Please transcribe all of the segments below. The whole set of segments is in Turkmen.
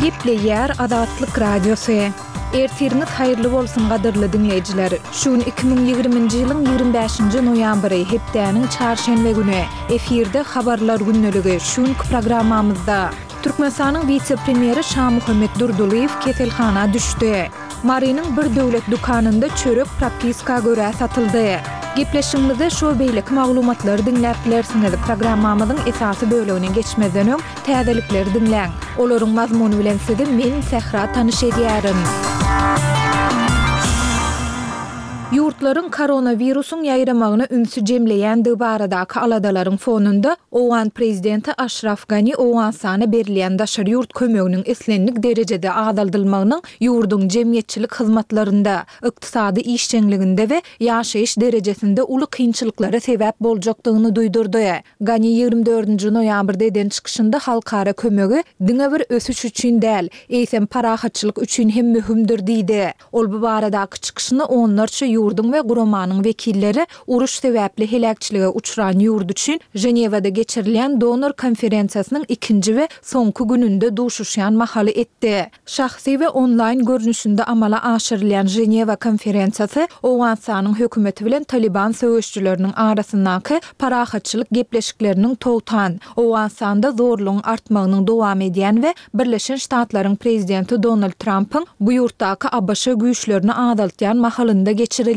Gepleýär Azatlyk Radiosy. Ertiriňiz haýyrly bolsun gadyrly diňleýjiler! Şu gün 2020-nji ýylyň 25-nji noýabry, hepdäniň çarşenbe güni. Efirde Habarlar gündeligi, şu günki programmamyzda. Türkmenistanyň wise-premýeri Şamuhammet Durdylyýew keselhana düşdi. Marynyň bir döwlet dükanynda çörek propiska görä satyldy. Gepleşigimizde şu we beýleki maglumatlary diňläp bilersiňiz. Programmamyzyň esasy bölegine geçmezden öň, täzelikleri diňläň. Olaryň mazmuny bilen sizi men, Sähra tanyş edýärin. Ýurtlaryň koronawirusyň ýaýramagyna ünsi jemleýändigi baradaky aladalaryň fonunda, owgan prezidenti Aşraf Gani Owganystana berilýän daşary ýurt kömeginiň islendik derejede azaldylmagynyň ýurduň jemgyýetçilik hyzmatlarynda, ykdysady işjeňliginde we ýaşaýyş derejesinde uly kynçylyklara sebäp boljakdygyny duýdurdy. Gani 24-nji noýabrda eden çykyşynda halkara kömegi diňe bir ösüş üçin däl, eýsem parahatçylyk üçin hem möhümdir diýdi. Ol bu baradaky çykyşyny onlarça ýurduň we guramanyň wekilleri uruş sebäpli heläkçilige uçran ýurt üçin Ženewada geçirilýän donor konferensiýasynyň ikinji we soňky gününde duşuşýan mahaly etdi. Şahsy we onlaýn görnüşinde amala aşyrylýan Ženewa konferensiýasy Owganystanyň hökümeti bilen Talyban söweşijileriniň arasyndaky parahatçylyk gepleşikleriniň togtan, Owganystanda zorlugyň artmagynyň dowam edýän we Birleşen Ştatlaryň prezidenti Donald Trampyň bu ýurtdaky ABŞ güýçlerini azaltýan mahalynda geçirilýär.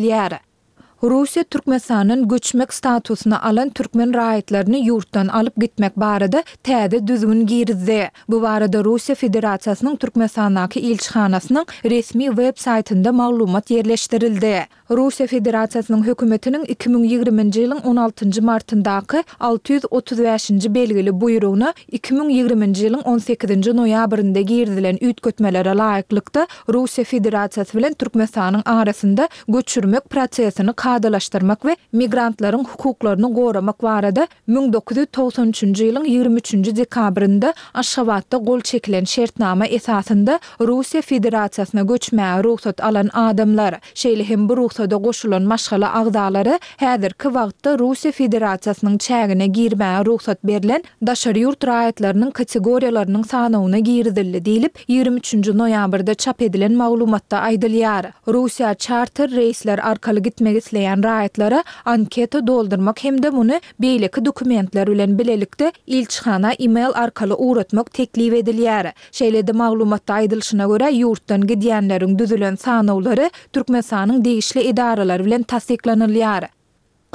Russiýa Türkmenistandan göçmek statusyny alan türkmen raýatlaryny ýurtdan alyp gitmek barada täze düzgün girizdi. Bu barada Russiýa Federasiýasynyň Türkmenistandaky ilçihanasynyň resmi web saýtynda maglumat ýerleşdirildi. Russiýa Federasiýasynyň Hökümetiniň 2020-nji ýylyň on altynjy martyndaky 635-nji belgili buýrugyna 2020-nji ýylyň on sekizinji noýabrynda girizilen üýtgetmelere laýyklykda, Russiýa Federasiýasy bilen Türkmenistanyň arasynda göçürmek prosesini kadalaşdyrmak we migrantlaryň hukuklaryny goramak barada 1993-nji ýylyň 23-nji dekabrynda Aşgabatda gol çekilen şertnama esasynda Russiýa Federasiýasyna göçmäge rugsat alan adamlar, şeýle hem bu rugsada goşulan maşgala agzalary häzirki wagtda Russiýa Federasiýasynyň çägine girmäge rugsat berlen daşary ýurt raýatlarynyň kategoriýalarynyň sanawyna girizildi diýlip, 23-nji noýabrda çap edilen maglumatda aýdylýar. Russiýa çarter reýsler arkaly gitmek isleýän raýatlara anketa doldurmak hem-de muny beýleki dokumentler bilen bilelikde ilçihana e-mail arkaly ugratmak teklip edilýär. Şeýle-de maglumatda aýdylyşyna görä, ýurtdan gidýänleriň düzülen sanawlary Türkmenistanyň degişli edaralary bilen tassyklanylýar.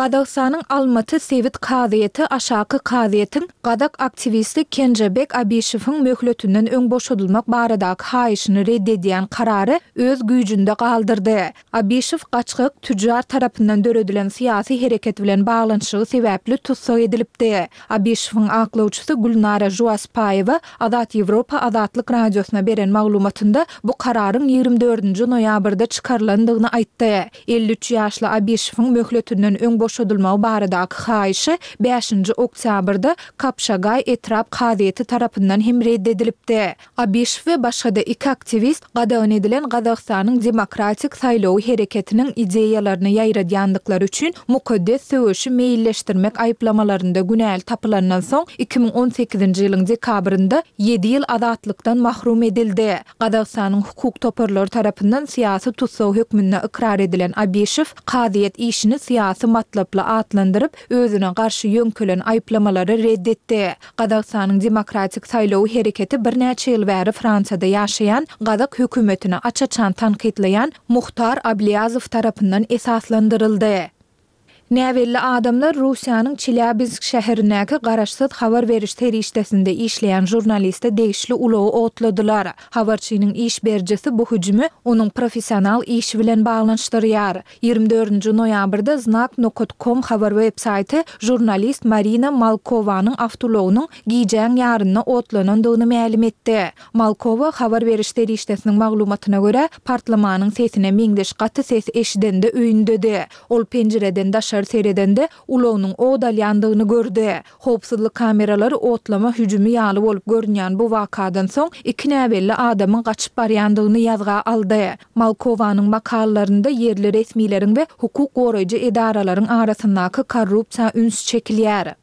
Gazagystanyň Almaty sebit kazyýeti Aşaky kazyýetiň gazak aktiwisti Kenžebek Abişewiň möhletinden öň boşadylmak baradaky haýyşyny red edýän karary öz güýjünde galdyrdy. Abişew gaçgak tüjjar tarapyndan döredilen syýasy hereket bilen baglanyşygy sebäpli tussag edilipdi. Abişewiň aklawçysy Gülnara Žuaspaýewa Azat Ýewropa Azatlyk Radiosyna beren maglumatynda bu kararyň 24-nji noýabrda çykarylandygyny aýtdy. 53 ýaşly Abişewiň möhletinden öň boşadylmagy baradaky haýyşy bäşinji oktýabrda Kapşagaý etrap kazyýeti tarapyndan hem red edilipdi. Abişew we başga-da iki aktiwist gadagan edilen Gazagystanyň Demokratik saýlawy hereketiniň ideýalaryny ýaýradýandyklary üçin mukaddes söweşi meýilleşdirmek aýyplamalarynda günäli tapylandan soň, 2018-nji ýylyň dekabrynda ýedi ýyl azatlykdan mahrum edildi. Gazagystanyň hukuk toparlary tarapyndan syýasy tussag hökmünde ykrar edilen Abişew kazyýet işini syýasy matlaply atlandyryp, özüne garşy ýöňkelen aýyplamalary red etdi. Gazagystanyň Demokratik saýlawy hereketi birnäçe ýyl bäri Fransiýada ýaşaýan, gazak hökümetini aç-açan tankytlaýan Muhtar Ablýazow tarapyndan esaslandyryldy. Näbelli adamlar Russiýanyň Çelýabinsk şäherindäki garaşsyz habar beriş serişdesinde işleýän žurnaliste degişli ulagy otladylar. Habarçynyň iş berijisi bu hüjümi onuň professional işi bilen baglanyşdyrýar. 24-nji noýabrda Znak nokat kom habar web-saýty žurnalist Marina Malkowanyň awtoulagynyň gijäň ýarynda otlanandygyny mälim etdi. Malkowa habar beriş serişdesiniň maglumatyna görä, partlamanyň sesine meňzeş gaty ses eşidende öýündedi. Ol penjireden daşary seredende, ulagynyň ot alýandygyny gördi. Howpsuzlyk kameralary otlama hüjümi ýaly bolup görünýän bu wakadan soň iki näbelli adamyň gaçyp barýandygyny ýazga aldy. Malkowanyň makalalarynda ýerli resmileriň we hukuk goraýjy edaralaryň arasyndaky korrupsiýa üns çekilýär.